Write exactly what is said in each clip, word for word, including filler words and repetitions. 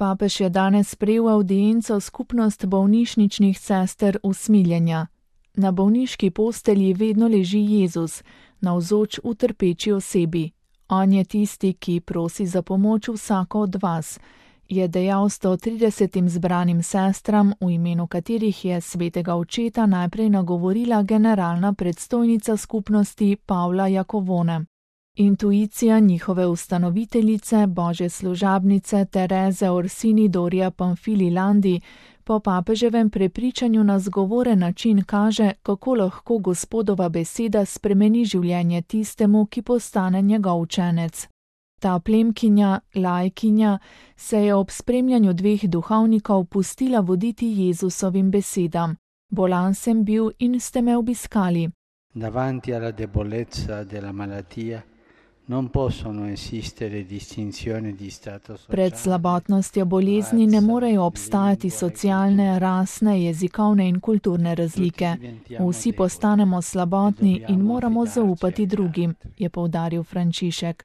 Papež je danes sprejel avdienco skupnost bolnišničnih sester usmiljenja. Na bolniški postelji vedno leži Jezus, navzoč v trpeči osebi. On je tisti, ki prosi za pomoč vsako od vas, je dejal sto tridesetim zbranim sestram, v imenu katerih je svetega očeta najprej nagovorila generalna predstojnica skupnosti Pavla Jakovone. Intuicija njihove ustanoviteljice, božje služabnice Tereze Orsini Doria Pamfili Landi, po papeževem prepričanju na zgovoren način kaže, kako lahko Gospodova beseda spremeni življenje tistemu, ki postane njegov učenec. Ta plemkinja, lajkinja, se je ob spremljanju dveh duhovnikov pustila voditi Jezusovim besedam. Bolan sem bil in ste me obiskali. Davanti alla debolezza della malattia non possono esistere distinzioni di stato sociale. Pred slabotnostjo bolezni ne morejo obstajati socialne, rasne, jezikovne in kulturne razlike. Vsi postanemo slabotni in moramo zaupati drugim, je poudaril Frančišek.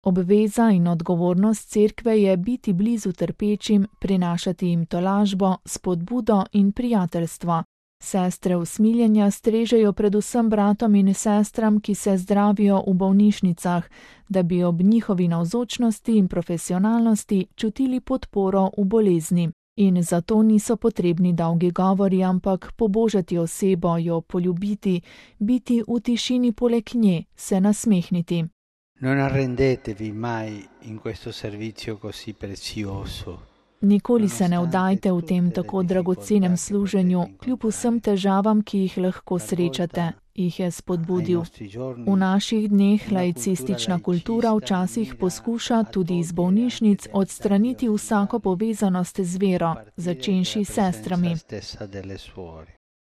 Obveza in odgovornost cerkve je biti blizu trpečim, prinašati jim tolažbo, spodbudo in prijateljstvo. Sestre usmiljenja strežejo predvsem bratom in sestram, ki se zdravijo v bolnišnicah, da bi ob njihovi navzočnosti in profesionalnosti čutili podporo v bolezni. In zato niso potrebni dolgi govori, ampak pobožati osebo, jo poljubiti, biti v tišini poleg nje, se nasmehniti. Non arrendetevi mai in questo servizio così prezioso. Nikoli se ne vdajte v tem tako dragocenem služenju, kljub vsem težavam, ki jih lahko srečate, jih je spodbudil. V naših dneh laicistična kultura včasih poskuša tudi iz bolnišnic odstraniti vsako povezanost z vero, začenši s sestrami.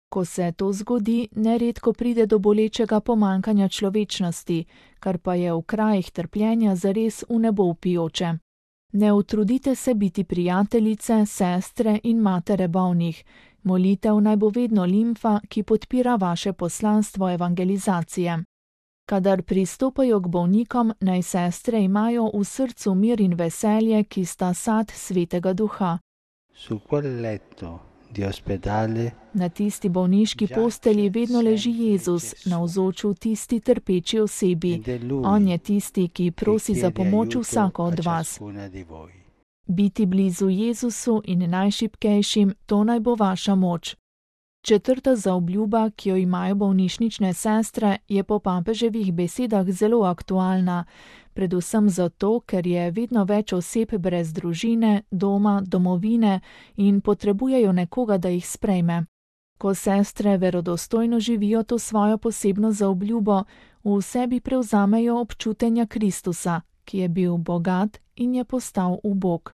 Ko se to zgodi, neredko pride do bolečega pomanjkanja človečnosti, kar pa je v krajih trpljenja zares v nebo vpijoče. Ne utrudite se biti prijateljice, sestre in matere bolnih. Molitev naj bo vedno limfa, ki podpira vaše poslanstvo evangelizacije. Kadar pristopajo k bolnikom, naj sestre imajo v srcu mir in veselje, ki sta sad svetega duha. Su quel letto di ospedale Na tisti bolniški postelji vedno leži Jezus, navzoč v tisti trpeči osebi. On je tisti, ki prosi za pomoč vsako od vas. Biti blizu Jezusu in najšibkejšim, to naj bo vaša moč. Četrta zaobljuba, ki jo imajo bolnišnične sestre, je po papeževih besedah zelo aktualna, predvsem zato, ker je vedno več oseb brez družine, doma, domovine in potrebujejo nekoga, da jih sprejme. Ko sestre verodostojno živijo to svojo posebno zaobljubo, v sebi prevzamejo občutenja Kristusa, ki je bil bogat in je postal ubog.